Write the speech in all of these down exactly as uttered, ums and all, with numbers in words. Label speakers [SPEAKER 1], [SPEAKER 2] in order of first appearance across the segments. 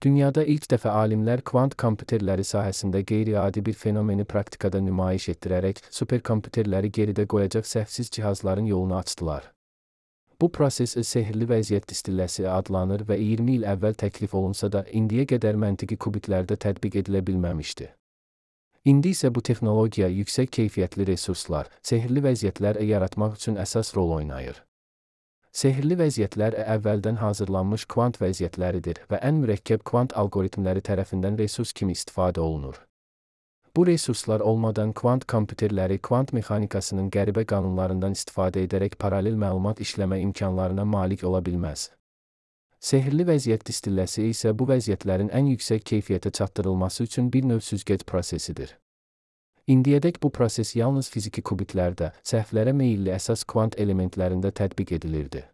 [SPEAKER 1] Dünyada ilk dəfə alimlər kvant kompüterləri sahəsində qeyri-adi bir fenomeni praktikada nümayiş etdirərək superkompüterləri geridə qoyacaq səhvsiz cihazların yolunu açdılar. Bu proses sehrli vəziyyət distilləsi adlanır və iyirmi il əvvəl təklif olunsa da indiyə qədər məntiqi kubitlərdə tətbiq edilə bilməmişdi. İndi isə bu texnologiya yüksək keyfiyyətli resurslar, sehrli vəziyyətlər yaratmaq üçün əsas rol oynayır. Sehrli vəziyyətlər əvvəldən hazırlanmış kvant vəziyyətləridir və ən mürəkkəb kvant alqoritmləri tərəfindən resurs kimi istifadə olunur. Bu resurslar olmadan kvant kompüterləri kvant mexanikasının qəribə qanunlarından istifadə edərək paralel məlumat işləmə imkanlarına malik ola bilməz. Sehrli vəziyyət distilləsi isə bu vəziyyətlərin ən yüksək keyfiyyətə çatdırılması üçün bir növ süzgəc prosesidir. İndiyədək bu proses yalnız fiziki kubitlərdə, səhvlərə meyilli əsas kvant elementlərində tətbiq edilirdi.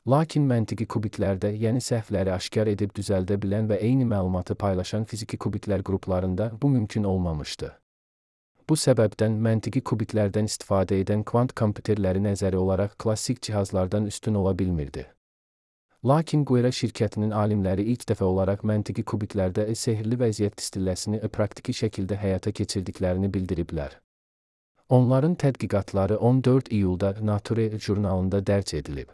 [SPEAKER 1] Lakin məntiqi kubitlərdə, yəni səhvləri aşkar edib düzəldə bilən və eyni məlumatı paylaşan fiziki kubitlər qruplarında bu mümkün olmamışdı. Bu səbəbdən məntiqi kubitlərdən istifadə edən kvant kompüterləri nəzəri olaraq klassik cihazlardan üstün ola bilmirdi. Lakin Qwera şirkətinin alimləri ilk dəfə olaraq məntiqi kubitlərdə sehrli vəziyyət distilləsini praktiki şəkildə həyata keçirdiklərini bildiriblər. Onların tədqiqatları on dörd iyulda Nature jurnalında dərc edilib.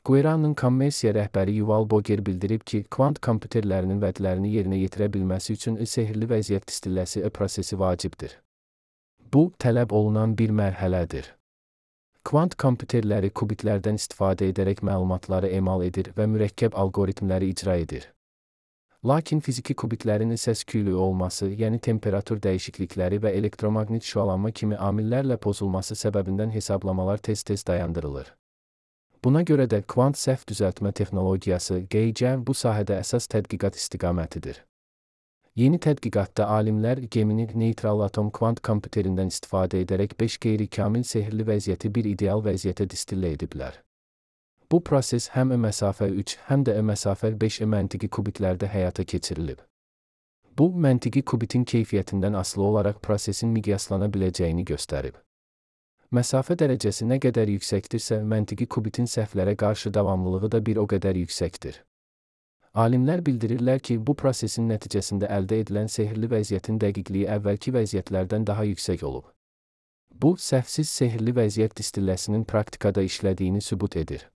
[SPEAKER 1] Qwera'nın kommersiya rəhbəri Yuval Boger bildirib ki, kvant kompüterlərinin vədlərini yerinə yetirə bilməsi üçün sehrli vəziyyət distilləsi prosesi vacibdir. Bu, tələb olunan bir mərhələdir. Kvant kompüterləri kubitlərdən istifadə edərək məlumatları emal edir və mürəkkəb alqoritmləri icra edir. Lakin fiziki kubitlərin səs-küylü olması, yəni temperatur dəyişiklikləri və elektromaqnit şüalanma kimi amillərlə pozulması səbəbindən hesablamalar tez-tez dayandırılır. Buna görə də kvant səhv düzəltmə texnologiyası G C bu sahədə əsas tədqiqat istiqamətidir. Yeni tədqiqatda alimlər gemini neytral atom kvant kompüterindən istifadə edərək beş qeyri-kamil sehrli vəziyyəti bir ideal vəziyyətə distillə ediblər. Bu proses həm məsafə üç, həm də məsafə beş məntiqi kubitlərdə həyata keçirilib. Bu, məntiqi kubitin keyfiyyətindən asılı olaraq prosesin miqyaslana biləcəyini göstərib. Məsafə dərəcəsi nə qədər yüksəkdirsə, məntiqi kubitin səhvlərə qarşı davamlılığı da bir o qədər yüksəkdir. Alimlər bildirirlər ki, bu prosesin nəticəsində əldə edilən sehrli vəziyyətin dəqiqliyi əvvəlki vəziyyətlərdən daha yüksək olub. Bu, səhvsiz sehrli vəziyyət distilləsinin praktikada işlədiyini sübut edir.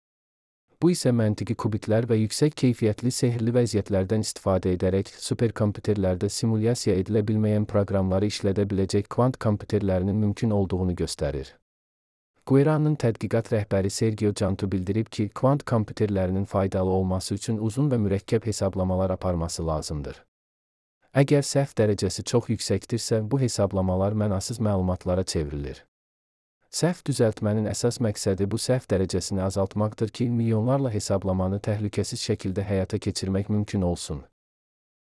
[SPEAKER 1] Bu isə məntiqi kubitlər və yüksək keyfiyyətli sehrli vəziyyətlərdən istifadə edərək superkompüterlərdə simulyasiya edilə bilməyən proqramları işlədə biləcək kvant kompüterlərinin mümkün olduğunu göstərir. Qwera'nın tədqiqat rəhbəri Sergio Cantu bildirib ki, kvant kompüterlərinin faydalı olması üçün uzun və mürəkkəb hesablamalar aparması lazımdır. Əgər səhv dərəcəsi çox yüksəkdirsə, bu hesablamalar mənasız məlumatlara çevrilir. Səhv düzəltmənin əsas məqsədi bu səhv dərəcəsini azaltmaqdır ki, milyonlarla hesablamanı təhlükəsiz şəkildə həyata keçirmək mümkün olsun.